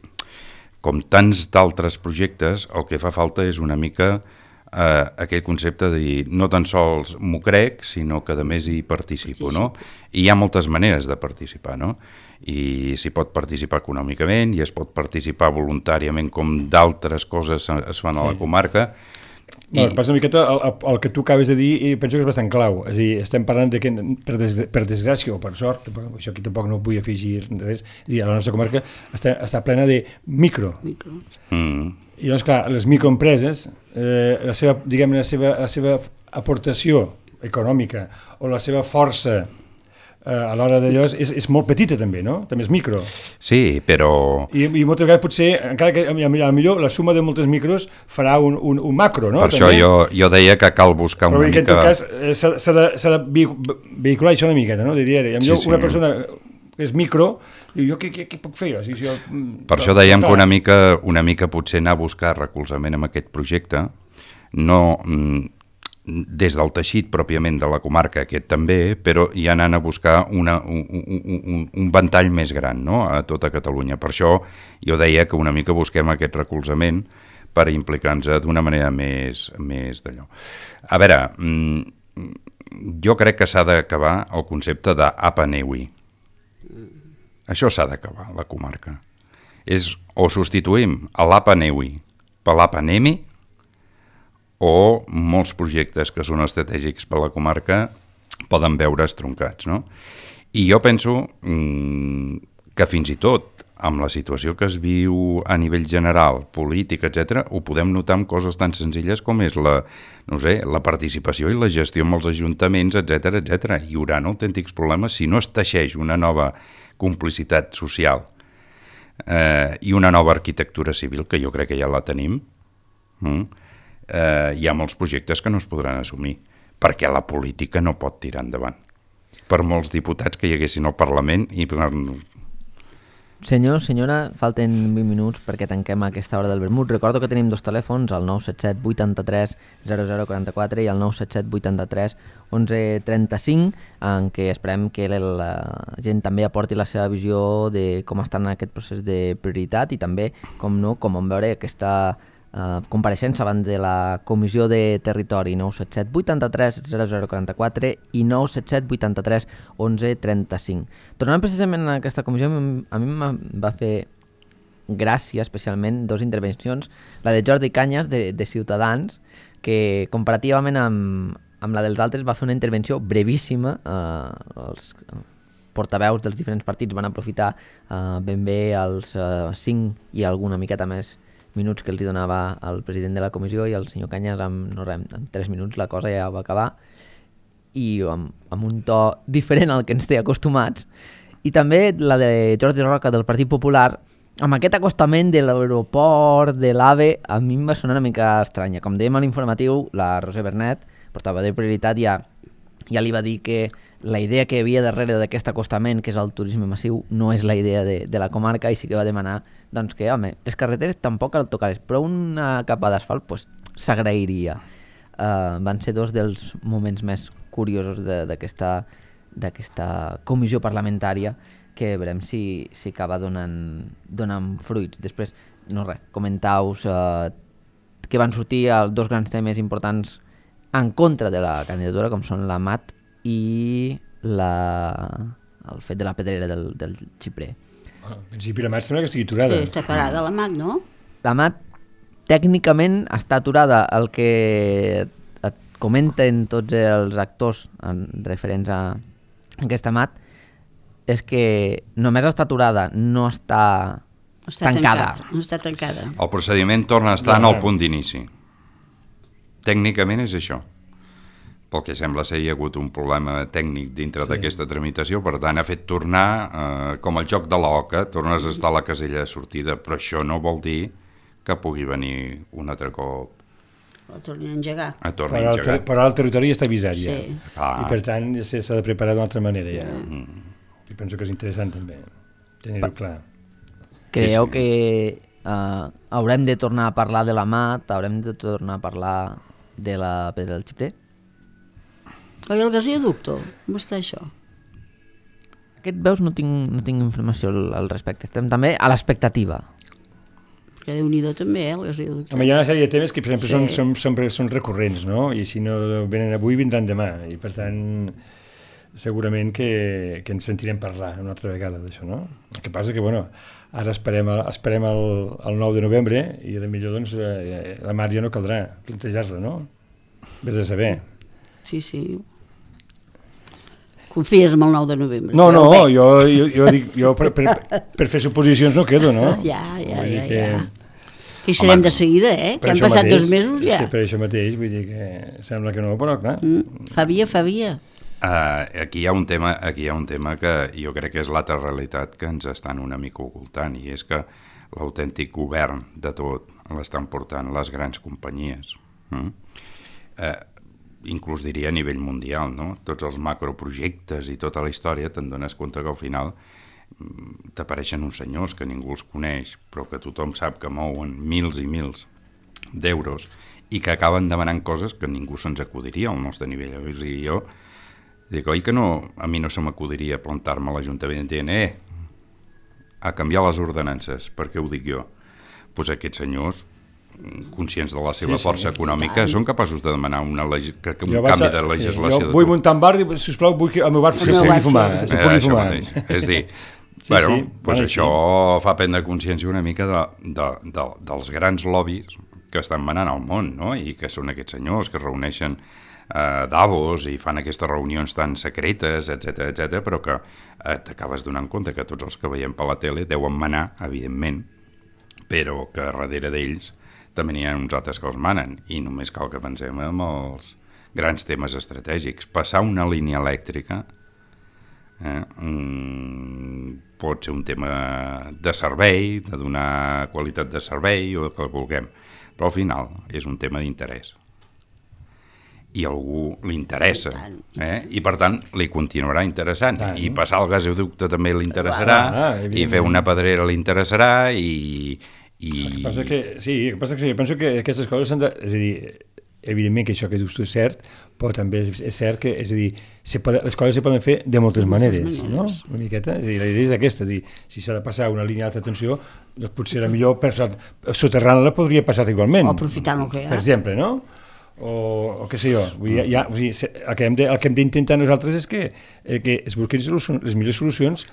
com tants d'altres projectes, el que fa falta és una mica aquell concepte de dir no tan sols m'ho crec, sinó que a més hi participo, no? I hi ha moltes maneres de participar, no? I s'hi pot participar econòmicament i es pot participar voluntàriament com d'altres coses es fan a la comarca. Passa una miqueta el que tu acabes de dir i penso que és bastant clau, és a dir, estem parlant que per desgràcia o per sort, això aquí tampoc no vull afegir res, a la nostra comarca està plena de micro. I llavors, clar, les microempreses, la seva aportació econòmica o la seva força a l'hora d'allò és molt petita també, no? També és micro. Sí, però... I moltes vegades potser, encara que millor la suma de moltes micros farà un macro, no? Per això jo deia que cal buscar una mica... Però en tot cas s'ha de vehicular això una miqueta, no? De dir, una persona que és micro, diu, jo què puc fer? Per això dèiem que una mica potser anar a buscar recolzament amb aquest projecte, no... des del teixit pròpiament de la comarca, aquest també, però ja anant a buscar un ventall més gran, no?, a tota Catalunya. Per això jo deia que una mica busquem aquest recolzament per implicar-nos d'una manera més d'allò. A veure, jo crec que s'ha d'acabar el concepte d'Apa Neui. Això s'ha d'acabar, la comarca. O substituïm l'Apa Neui per l'Apa Nemi, o molts projectes que són estratègics per a la comarca poden veure's troncats, no? I jo penso que fins i tot amb la situació que es viu a nivell general, polític, etc., ho podem notar amb coses tan senzilles com és la participació i la gestió amb els ajuntaments, etc. Hi haurà autèntics problemes si no es teixeix una nova complicitat social i una nova arquitectura civil, que jo crec que ja la tenim. Hi ha molts projectes que no es podran assumir, perquè la política no pot tirar endavant. Per molts diputats que hi haguessin al Parlament i Senyor, senyora, falten 20 minuts perquè tanquem aquesta hora del vermut. Recordo que tenim dos telèfons, el 977 83 0044 i el 977 83 1135, en què esperem que la gent també aporti la seva visió de com està en aquest procés de prioritat i també, com no, com vam veure aquesta compareixença davant de la Comissió de Territori. 977 83 0044 i 977 83 1135. Tornant precisament a aquesta comissió, a mi em va fer gràcia especialment dues intervencions, la de Jordi Cañas de Ciutadans, que comparativament amb la dels altres va fer una intervenció brevíssima. Els portaveus dels diferents partits van aprofitar ben bé els 5 i alguna miqueta més minuts que els hi donava el president de la comissió, i el senyor Cañas amb 3 minuts la cosa ja va acabar, i amb un to diferent al que ens té acostumats. I també la de Jordi Roca del Partit Popular, amb aquest acostament de l'aeroport, de l'AVE, a mi em va sonar una mica estranya. Com dèiem a l'informatiu, la Roser Bernet, portava de prioritat, ja li va dir que la idea que hi havia darrere d'aquest acostament, que és el turisme massiu, no és la idea de la comarca, i sí que va demanar doncs, que, home, les carreteres tampoc cal tocar-les, però una capa d'asfalt pues, s'agrairia. Van ser dos dels moments més curiosos d'aquesta comissió parlamentària, que veurem si acaba donant fruits. Després, no res, comentau-vos que van sortir els dos grans temes importants en contra de la candidatura, com són la MAT i el fet de la pedrera del xiprer. En principi la MAT sembla que estigui aturada. Sí, està parada la MAT, no? La MAT tècnicament està aturada. El que et comenten tots els actors referents a aquesta MAT és que només està aturada, no està tancada. No està tancada. El procediment torna a estar en el punt d'inici. Tècnicament és això. Pel que sembla ser, hi ha hagut un problema tècnic dintre d'aquesta tramitació, per tant ha fet tornar, com el joc de l'oca, tornes a estar a la casella de sortida, però això no vol dir que pugui venir un altre cop Ho torni a engegar. Però el territori ja està avisat ja. Sí. I per tant ja s'ha de preparar d'una altra manera ja. I penso que és interessant també tenir-ho clar. Creieu que haurem de tornar a parlar de la MAT, haurem de tornar a parlar de la pedra del xiprer? Oi, el gasoducto? Com està això? Aquest, veus, no tinc informació al respecte. Estem també a l'expectativa. Que Déu-n'hi-do també, el gasoducte. Home, hi ha una sèrie de temes que, per exemple, són recurrents, no? I si no venen avui, vindran demà. I, per tant, segurament que ens sentirem parlar una altra vegada d'això, no? El que passa que, bueno, ara esperem el 9 de novembre i potser, doncs, la Mar ja no caldrà plantejar-la, no? Vés a saber. Sí. Confies en el 9 de novembre? No, jo per fer suposicions no quedo, no? Ja. Que hi serem de seguida, que han passat 2 mesos ja. És que per això mateix, vull dir que sembla que no, però clar. Fa via. Aquí hi ha un tema que jo crec que és l'altra realitat que ens estan una mica ocultant, i és que l'autèntic govern de tot l'estan portant les grans companyies. Inclús diria a nivell mundial, no? Tots els macroprojectes i tota la història, te'n dones compte que al final t'apareixen uns senyors que ningú els coneix, però que tothom sap que mouen mils i mils d'euros i que acaben demanant coses que ningú se'ns acudiria al nostre nivell. I jo dic, oi que no, a mi no se m'acudiria plantar-me a l'Ajuntament dient a canviar les ordenances, per què ho dic jo? Doncs aquests senyors, conscients de la seva força econòmica, són capaços de demanar un canvi de legislació. Jo vull muntar un bar i, sisplau, vull que el meu bar se pugui fumar. És dir, això fa prendre consciència una mica dels grans lobbies que estan manant al món, no? I que són aquests senyors que es reuneixen a Davos i fan aquestes reunions tan secretes, etc, però que t'acabes donant compte que tots els que veiem per la tele deuen manar, evidentment, però que darrere d'ells també n'hi ha uns altres que els manen, i només cal que pensem en els grans temes estratègics. Passar una línia elèctrica pot ser un tema de servei, de donar qualitat de servei o el que vulguem, però al final és un tema d'interès. i a algú li interessa, I tant. i per tant li continuarà interessant, i passar el gasoducte també li interessarà, i fer una pedrera li interessarà, i... El que passa que, sí, jo penso que aquestes coses s'han de... És a dir, evidentment que això que dius tu és cert, però també és cert que, és a dir, les coses se poden fer de moltes maneres, no? Una miqueta, és a dir, la idea és aquesta, és dir, si s'ha de passar una línia d'alta tensió, doncs potser era millor, soterrant-la podria passar igualment. O aprofitant el que hi ha. Per exemple, no? O què sé jo, el que hem d'intentar nosaltres és que es busquin les millors solucions,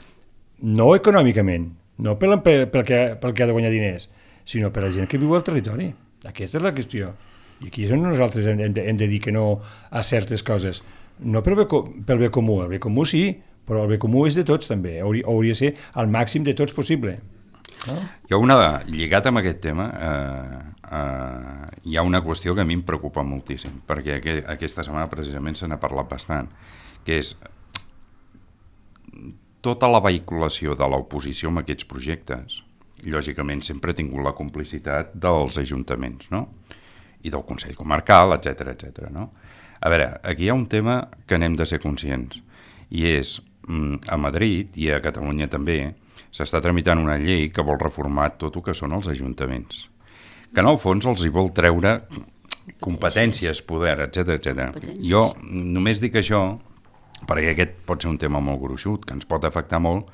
no econòmicament, no pel que ha de guanyar diners, sinó per a la gent que viu al territori. Aquesta és la qüestió. I aquí és on nosaltres hem de dir que no a certes coses. No pel bé comú, el bé comú sí, però el bé comú és de tots també, hauria de ser al màxim de tots possible. No? Lligat amb aquest tema, hi ha una qüestió que a mi em preocupa moltíssim, perquè aquesta setmana precisament se n'ha parlat bastant, que és tota la vehiculació de l'oposició amb aquests projectes. Lògicament sempre ha tingut la complicitat dels ajuntaments, no? I del Consell Comarcal, etc. No? A veure, aquí hi ha un tema que n'hem de ser conscients, i és, a Madrid i a Catalunya també, s'està tramitant una llei que vol reformar tot el que són els ajuntaments, que en el fons els hi vol treure competències, poder, etc. Jo només dic això perquè aquest pot ser un tema molt gruixut, que ens pot afectar molt,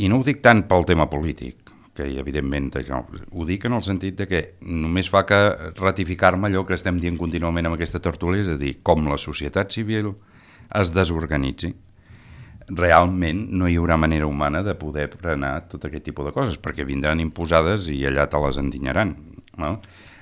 i no ho dic tant pel tema polític, que evidentment ho dic en el sentit de que només fa que ratificar-me allò que estem dient contínuament amb aquesta tertúlia, és a dir, com la societat civil es desorganitzi, realment no hi haurà manera humana de poder frenar tot aquest tipus de coses, perquè vindran imposades i allà te les endinyaran, no?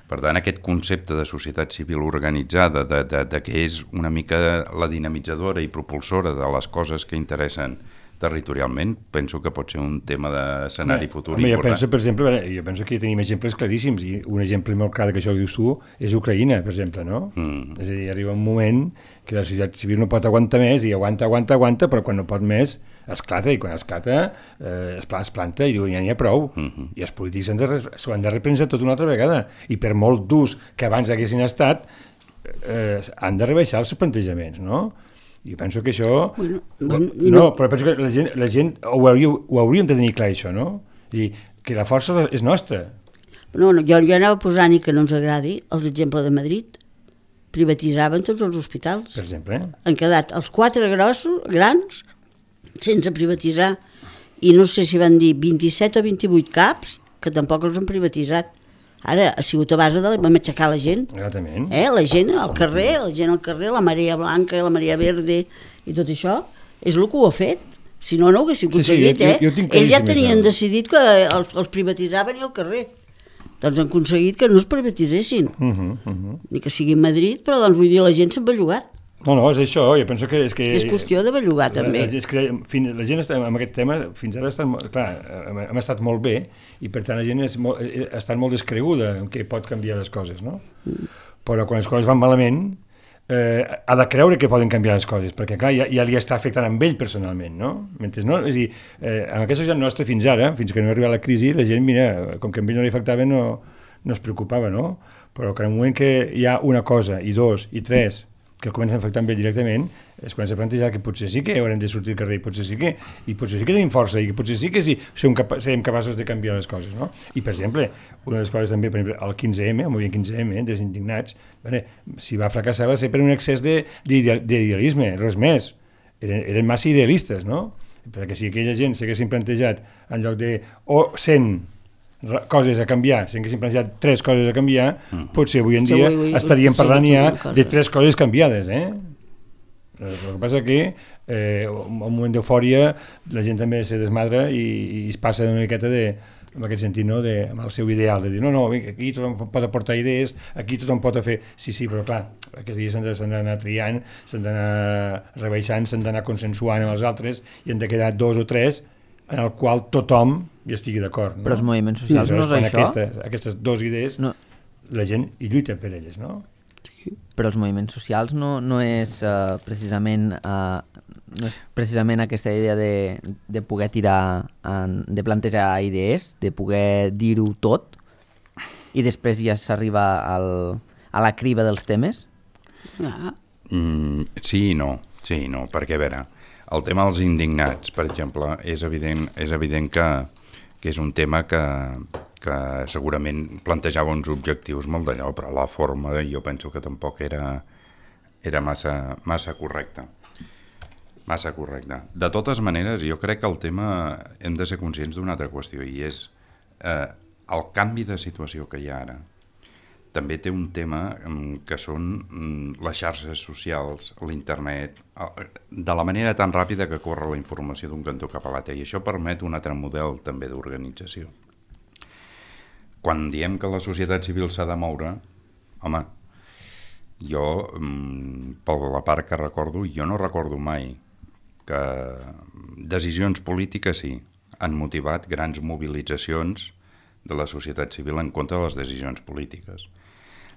Per tant, aquest concepte de societat civil organitzada, de que és una mica la dinamitzadora i propulsora de les coses que interessen territorialment, penso que pot ser un tema d'escenari futur important. Jo penso que tenim exemples claríssims, i un exemple molt clar que això que dius tu és Ucraïna, per exemple, no? És a dir, arriba un moment que la societat civil no pot aguantar més, i aguanta, però quan no pot més esclata, i quan esclata es planta i diu ja n'hi ha prou, i els polítics s'ho han de reprendre tot una altra vegada, i per molt durs que abans haguessin estat han de rebaixar els plantejaments, no? I penso que això... però penso que la gent ho hauríem de tenir clar, això, no? I que la força és nostra. Jo anava posant, i que no ens agradi, els exemples de Madrid. Privatitzaven tots els hospitals. Per exemple. Han quedat els 4 grans sense privatitzar. I no sé si van dir 27 o 28 CAPs, que tampoc els han privatitzat. Ara ha sigut a base de matxacar la gent. Exactament. La gent al carrer, la marea blanca i la marea verde i tot això, és el que ho ha fet. Si no, no ho haguessin aconseguit, Ells ja tenien decidit que els privatitzaven i al carrer. Doncs han aconseguit que no es privatitzessin. Ni que sigui a Madrid, però doncs vull dir, la gent s'ha bellugat. No, és això, jo penso que... És qüestió de bellugar, també. És que la gent amb aquest tema, fins ara, hem estat molt bé, i per tant la gent ha estat molt descreguda en què pot canviar les coses, no? Però quan les coses van malament, ha de creure que poden canviar les coses, perquè clar, ja li està afectant amb ell personalment, no? Mentre no, és a dir, en aquesta societat nostra fins ara, fins que no ha arribat la crisi, la gent, mira, com que a ell no li afectava, no es preocupava, no? Però que en el moment que hi ha una cosa, i dos, i tres, que el comencen a afectar amb ell directament, es comença a plantejar que potser sí que haurem de sortir al carrer, i potser sí que tenim força, i potser sí que serem capaços de canviar les coses, no? I, per exemple, una de les coses també, per exemple, el 15M, el moviment 15M, dels indignats, si va fracassar va ser per un excés d'idealisme, res més. Eren massa idealistes, no? Perquè si aquella gent s'haguessin plantejat en lloc de 100 coses a canviar, si haguéssim plantejat 3 coses a canviar, potser avui en dia estaríem parlant ja de 3 coses canviades, El que passa que en un moment d'eufòria la gent també se desmadra i es passa una miqueta en aquest sentit, no? Amb el seu ideal, de dir, no, aquí tothom pot aportar idees, aquí tothom pot fer... Sí, però clar, aquests dies s'han d'anar triant, s'han d'anar rebaixant, s'han d'anar consensuant amb els altres, i han de quedar 2 o 3 en el qual tothom hi estigui d'acord. No? Però els moviments socials no és això? Aquestes 2 idees, la gent hi lluita per elles, no? Sí. Però els moviments socials no és precisament aquesta idea de poder tirar, de plantejar idees, de poder dir-ho tot, i després ja s'arriba a la criba dels temes? Sí i no, perquè a veure, el tema dels indignats, per exemple, és evident que és un tema que segurament plantejava uns objectius molt d'allò, però la forma jo penso que tampoc era massa correcta. Massa correcte. De totes maneres, jo crec que el tema hem de ser conscients d'una altra qüestió, i és el canvi de situació que hi ha ara. També té un tema que són les xarxes socials, l'internet, de la manera tan ràpida que corre la informació d'un cantó cap a l'altre, i això permet un altre model també d'organització. Quan diem que la societat civil s'ha de moure, home, jo, per la part que recordo, jo no recordo mai que decisions polítiques sí, han motivat grans mobilitzacions de la societat civil en contra de les decisions polítiques.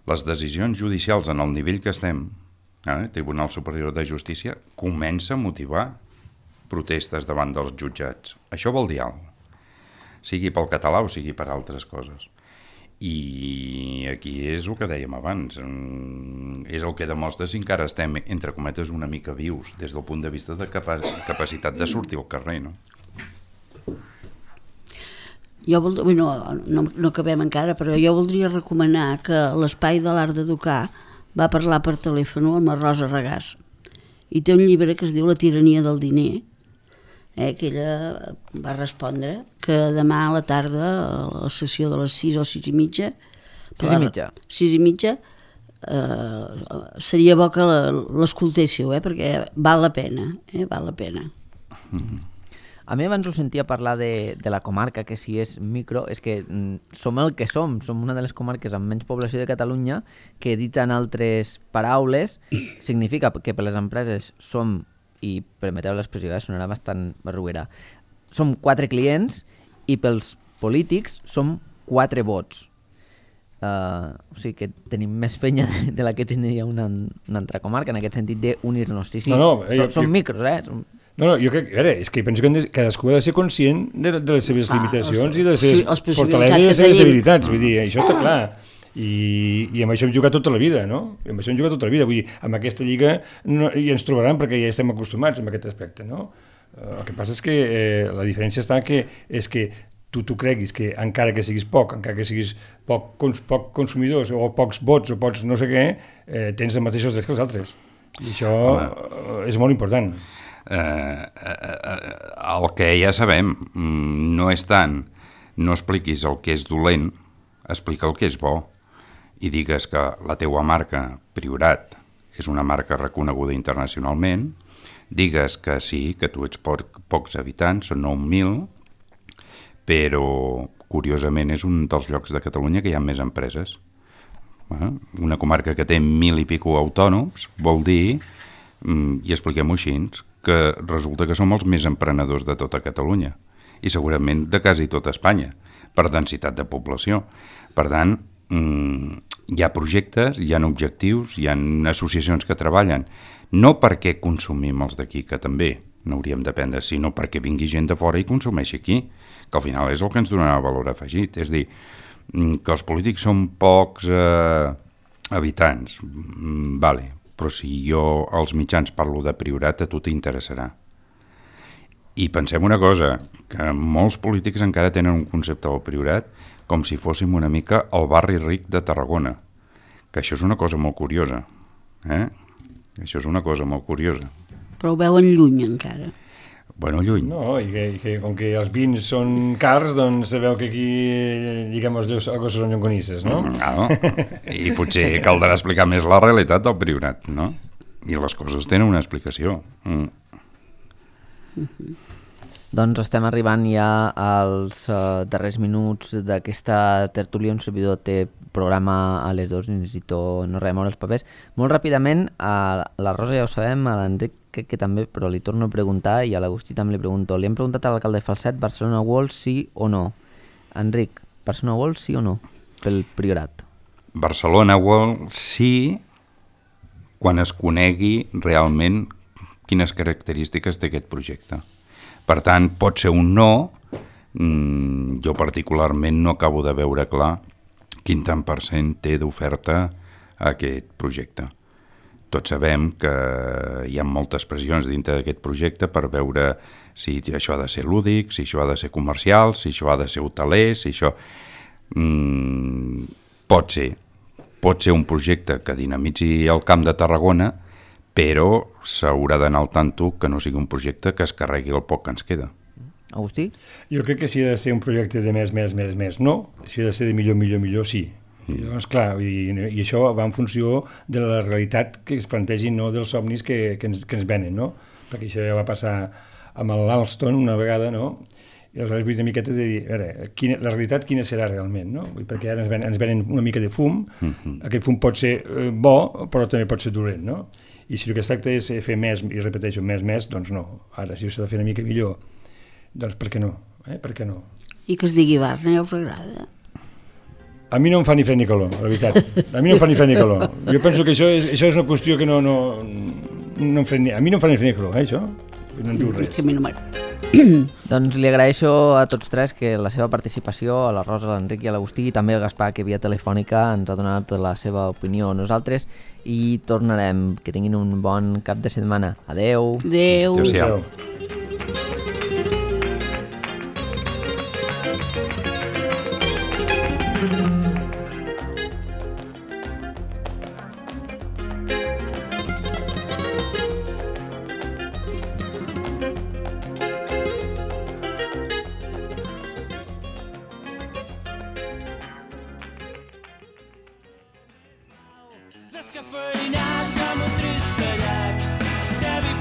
Les decisions judicials en el nivell que estem, Tribunal Superior de Justícia, comença a motivar protestes davant dels jutjats. Això vol dir alguna cosa, sigui pel català o sigui per altres coses. I aquí és el que dèiem abans, és el que demostra si encara estem, entre cometes, una mica vius des del punt de vista de capacitat de sortir al carrer, no? No acabem encara, però jo voldria recomanar que l'Espai de l'Art d'Educar va parlar per telèfon amb la Rosa Regàs i té un llibre que es diu La tirania del diner, que ella va respondre que demà a la tarda, a la sessió de les 6 o 6 i mitja, 6 i mitja, seria bo que l'escoltéssiu, perquè val la pena, val la pena. A mi abans us sentia parlar de la comarca, que si és micro, és que som el que som una de les comarques amb menys població de Catalunya, que dit en altres paraules, significa que per les empreses som, i permeteu l'expressió, sonarà bastant barruera, som 4 clients i pels polítics som 4 vots. O sigui que tenim més fenya de la que tindria una altra comarca, en aquest sentit d'unir-nos. Sí, som micros, No, jo crec, és que penso que cadascú ha de ser conscient de les seves limitacions i de les seves fortaleses i les seves debilitats, vull dir, això està clar. I amb això hem jugat tota la vida, no? Vull dir, amb aquesta lliga ja ens trobaran perquè ja estem acostumats amb aquest aspecte, no? El que passa és que la diferència està és que tu creguis que encara que siguis poc, encara que siguis poc consumidors o pocs vots o pocs no sé què, tens els mateixos drets que els altres. I això és molt important. El que ja sabem no és tant no expliquis el que és dolent, explica el que és bo i digues que la teua marca Priorat és una marca reconeguda internacionalment, digues que sí, que tu ets pocs habitants, són 9.000, però curiosament és un dels llocs de Catalunya que hi ha més empreses. Una comarca que té 1.000 i pico autònoms vol dir, i expliquem-ho així, que resulta que som els més emprenedors de tota Catalunya i segurament de quasi tota Espanya per densitat de població. Per tant, hi ha projectes, hi ha objectius, hi ha associacions que treballen no perquè consumim els d'aquí, que també n'hauríem d'aprendre, sinó perquè vingui gent de fora i consumeixi aquí, que al final és el que ens donarà valor afegit. És dir, que els polítics són pocs habitants, vale, però si jo als mitjans parlo de Priorat, a tu t'interessarà. I pensem una cosa, que molts polítics encara tenen un concepte del Priorat com si fóssim una mica el barri ric de Tarragona, que això és una cosa molt curiosa. Això és una cosa molt curiosa. Però ho veuen lluny encara. Bueno, lluny. No, i que com que els vins són cars, doncs sabeu que aquí lliguem els dos a coses llonganisses, no? No, i potser caldrà explicar més la realitat del Priorat, no? I les coses tenen una explicació. Doncs estem arribant ja als darrers minuts d'aquesta tertúlia. Un servidor té programa a les 2 i necessito no remoure els papers. Molt ràpidament, a la Rosa ja ho sabem, a l'Enric que també, però li torno a preguntar, i a l'Agustí també li pregunto. Li hem preguntat a l'alcalde Falset, Barcelona World, sí o no? Enric, Barcelona World, sí o no? Pel Priorat. Barcelona World, sí, quan es conegui realment quines característiques té aquest projecte. Per tant, pot ser un no, jo particularment no acabo de veure clar quin tant % té d'oferta a aquest projecte. tots sabem que hi ha moltes pressions dintre d'aquest projecte per veure si això ha de ser lúdic, si això ha de ser comercial, si això ha de ser hoteler, si això... Pot ser un projecte que dinamitzi el Camp de Tarragona, però s'haurà d'anar al tanto que no sigui un projecte que es carregui el poc que ens queda. Agustí? Jo crec que si ha de ser un projecte de més, no. Si ha de ser de millor, sí. Llavors, clar, i això va en funció de la realitat que es plantegin, no dels somnis que ens venen, no? Perquè això ja va passar amb l'Alstom una vegada, no? I aleshores vull una miqueta de dir, a veure, la realitat quina serà realment, no? Perquè ara ens venen una mica de fum, aquest fum pot ser bo, però també pot ser dolent, no? I si el que es tracta és fer més, i repeteixo, més, doncs no. Ara, si s'ha de fer una mica millor, doncs per què no? Per què no? I que es digui Barna, ja us agrada? A mi no em fa ni fred ni calor, la veritat. A mi no em fa ni fred ni calor. Jo penso que això és una qüestió que no em fa ni... A mi no em fa ni fred ni calor, això. No en diu res. Que a mi no m'agrada. Doncs li agraeixo a tots tres que la seva participació, a la Rosa, a l'Enric i a l'Agustí, i també al Gaspar, que via telefònica ens ha donat la seva opinió. Nosaltres hi tornarem. Que tinguin un bon cap de setmana. Adeu. Adeu. Adéu-siau. Descafeinat com un tristellat de vi